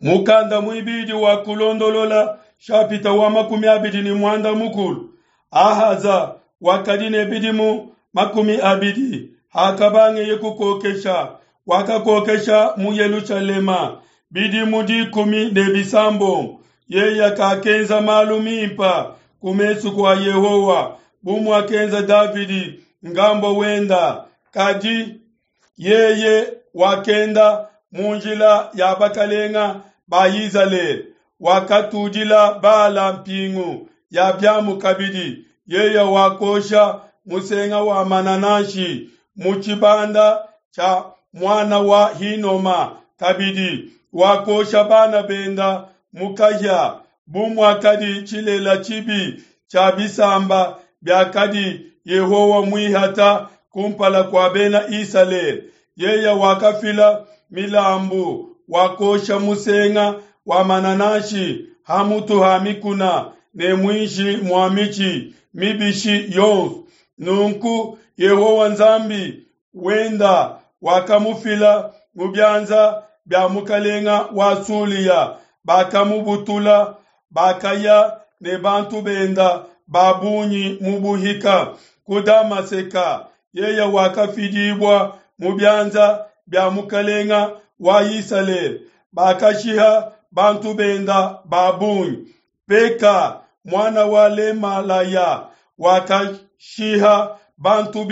Mukanda muibidi wa Kulondolola shapita wa 26. Ahaza wakadi ne bidimu 20 hakabangeye kukokesha, wakakokesha mu Yelushalema bidimu 16. Yeye kakenza malu mimpa ku mesu kua Yehowa bu muakenza Davidi ngambo wenda, kadi yeye wakenda mu njila ya bakalenga ba Izalele, wakatudila Bala mpingu ya biamu kabidi. Yeye wakosha musenga wa manananshi mu tshibanda tshia muana wa Hinoma kabidi wakosha bana benda mu kahia bu muakadi tshilela tshibi tshia bisamba biakadi Yehowa muihata kumpala kua bena Isalele. Yeye wakafila milambu, wakosha musenga wa manananshi ha mutu ha mikuna ne muinshi mua mitshi mibishi yonso. Nunku Yehowa Nzambi wenda wakamufila mu bianza bia mukalenga wa Sulia, bakamubutula, bakaya ne bantu benda ba bungi mu buhika ku Damaseka. Yeye wakafidibua mu bianza bia mukalenga wa Isalele, bakashiha bantu benda ba bungi. Peka muana wa Lemalaya wakashiha bantu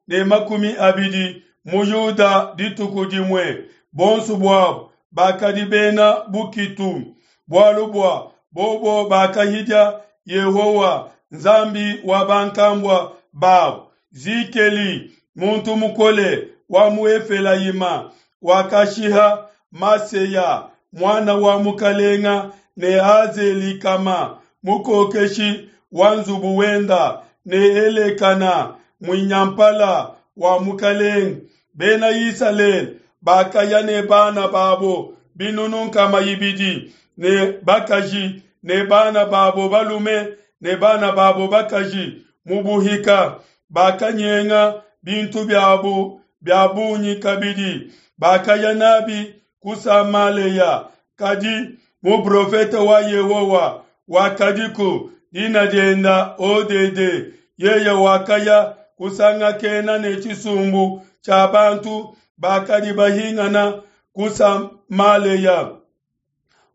320 mu Yuda dituku dimue. Bonso buabo bakadi bena bukitu, bualu bua bobo bakahidia Yehowa Nzambi wa bankambua babo. Zikeli muntu mukole wa mu Efelayima wakashiha Maseya muana wa mukalenga ne Azelikama mukokeshi wa nzubu wenda ne Elekana muinyampala wa mukalenga. Bena Isalele bakaya ne bana babo 200 ne bakaji ne bana babo balume ne bana babo bakaji mu buhika. Bakanyenga bintu biabo bia bungi kabidi, bakaya nabi ku Samaleya. Kadi muprofete wa Yehowa wakadiku, dina dienda Odede. Yeye wakaya kusangakena ne tshisumbu tshia bantu bakadi bahingana ku Samaleya.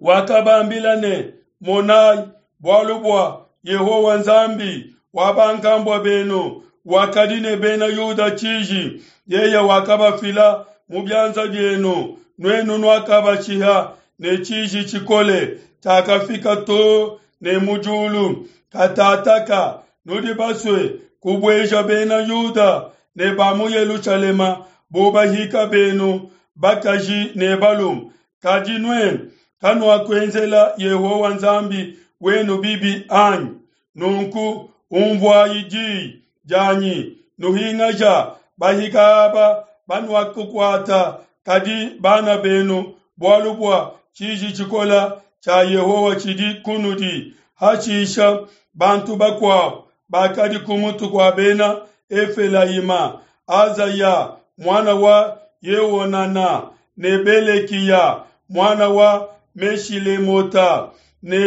Wakabambila ne, Monai, bualu bua Yehowa Nzambi wa bankambua benu wakadi ne bena Yuda tshiji, yeye wakabafila mu bianza bienu, nuenu nuakabashiha ne tshiji tshikole tshiakafika to ne mu diulu. Katataka nudi basue kubueja bena Yuda ne ba mu Yelushalema bu bahika benu bakaji ne balume. Kadi nuenu kanuakuenzela Yehowa Nzambi wenu bibi anyi? Nunku unvuai di dianyi, nuhingaja bahika aba banuakukuata, kadi bana benu, bualu bua tshiji tshikola tshia Yehowa tshidi kunudi. Hashisha bantu bakuabo bakadi ku mutu kua bena Efelayima, Azaya muana wa Yehonana ne Belekiya muana wa Meshilemota ne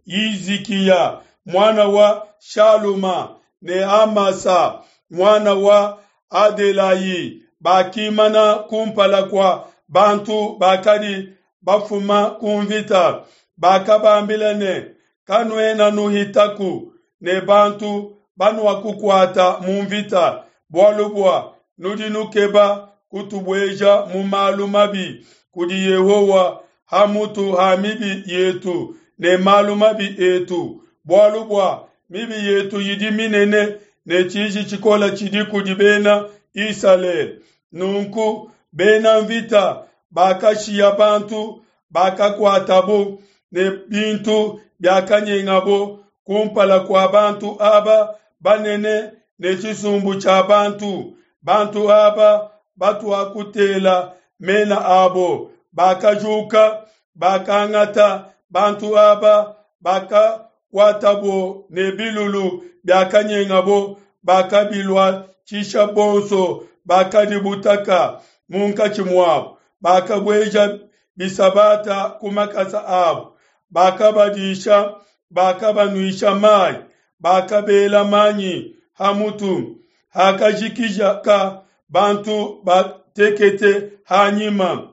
Yehizikiya muana wa Shaluma ne Amasa muana wa Adelayi bakimana kumpala kua bantu bakadi bafuma ku mvita. Bakabambila ne, Kanuena nuhitaku ne bantu banuakukuata mu mvita, bualu bua nudi nukeba kutubueja mu malu mabi kudi Yehowa ha mutu ha mibi yetu ne malu mabi etu, bualu bua mibi yetu idi minene ne tshiji tshikole tshidi kudi bena Isalele. Nunku bena mvita bakashiya bantu bakakuatabo ne bintu biakanyengabo kumpala kua bantu aba banene ne tshisumbu tshia bantu. Bantu aba batuakutela mena abo bakajuka, bakangata bantu aba bakakuatabo ne bilulu biakanyengabo, bakabiluatshisha bonso bakadi butaka munkatshi muabo, bakabueja. bisabata ku makasa abo. Bakabadisha, bakabanuisha mai, bakabela manyi ha mutu. Hakajikijaka bantu batekete ha nyima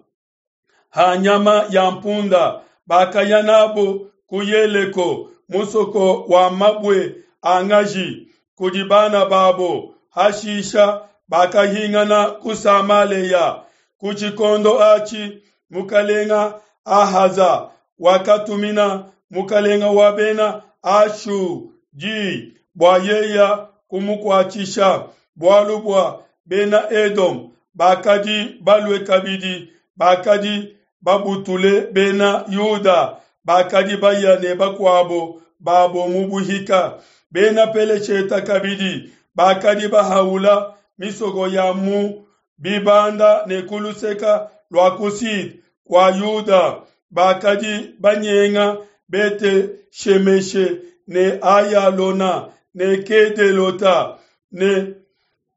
ha nyama ya mpunda, bakaya nabo ku Yeleko, musoko wa mabue a ngaji, kudi bana babo. Hashisha bakahingana ku Samalea. Ku tshikondo atshi mukalenga Ahaza wakatumina mukalenga wa bena Ashu di bua yeya kumukuatshisha, bualu bua bena Edome bakadi balue kabidi, bakadi babutule bena Yuda, bakadi baya ne bakuabo babo mu buhika. Bena Peleshete kabidi bakadi bahaula misoko ya mu bibanda ne ku luseke lua ku Sud kua Yuda, bakadi banyenga Bete-shemeshe ne Ayalona ne Kedelota ne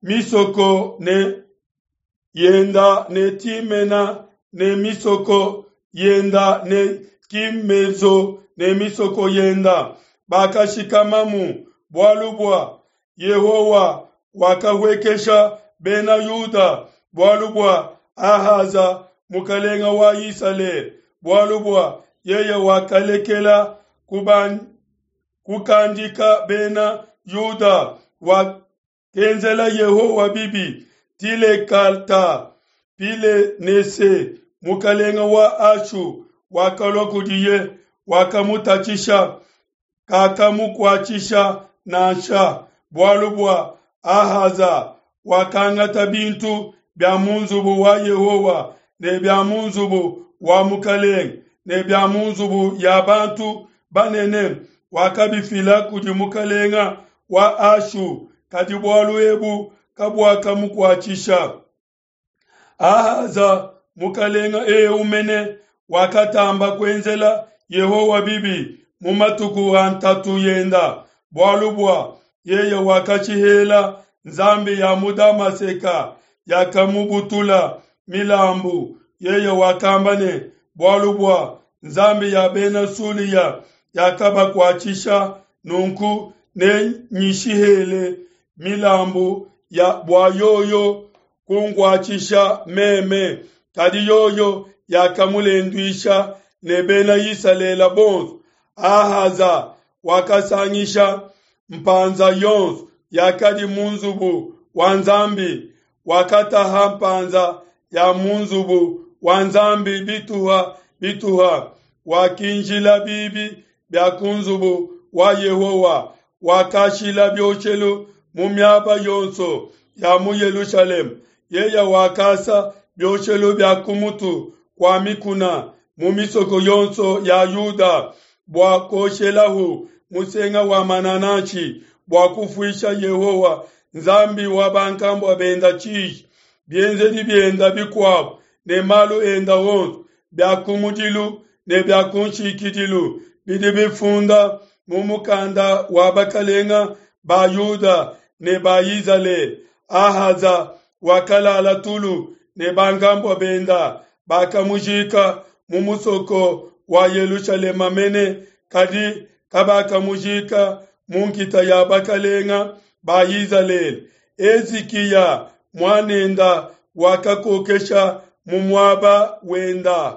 misoko ne yenda ne Timena ne misoko yenda ne Kimezo ne misoko yenda. Bakashikamamu bualu bua Yehowa wakahuekesha Bena Yuda bualu bua Ahaza mukalenga wa Isalele, bualu bua yeye wakalekela kukandika Bena Yuda, wakenzela Yehowa bibi. Tilekalta-pilenese mukalenga wa Ashu wakalua kudiye, wakamutatshisha, kakamukuatshisha nansha, bualu bua Ahaza wakangata bintu bia mu nzubu wa Yehowa ne bia mu nzubu wa mukalenge ne bia mu nzubu ya bantu banene, wakabifila kudi mukalenga wa Ashu, kadi bualu ebu kabuakamukuatshisha. Ahaza mukalenga eu mene wakatamba kuenzela Yehowa bibi mu matuku a ntatu yenda, bualu bua yeye wakatshihela nzambi ya mu Damaseka yakamubutula milambu. Yeye wakamba ne, bualu bua nzambi ya bena Sulia yakabakuatshisha, nunku nenyishihele milambu ya bua yoyo kunkuatshisha meme. Kadi yoyo yakamulenduisha ne bena Isalele bonso. Ahaza wakasangisha mpanza yonso yakadi mu nzubu wa Nzambi, wakataha mpanza ya mu nzubu wa Nzambi bituha bituha, wakinjila bibi bia ku nzubu wa Yehowa, wakashila bioshelu mu miaba yonso ya mu Yelushalema. Yeye wakasa bioshelu bia ku mutu kua mikuna mu misoko yonso ya Yuda bua kuoshelahu musenga wa manananshi bua kufuisha Yehowa Nzambi wa bankambua benda tshiji. Bienzedi bienda bikuabu ne malu enda onso bia kumudilu ne bia kunshikidilu bidi bifunda mu mukanda wa bakalenga ba Yuda ne ba Izalele. Ahaza wakalala tulu ne bankambua benda, bakamujika mu musoko wa Yelushalema mene, kadi kabakamujika mu nkita ya bakalenga ba Izalele. Hezikiya muanenda wakakokesha mu muaba wenda.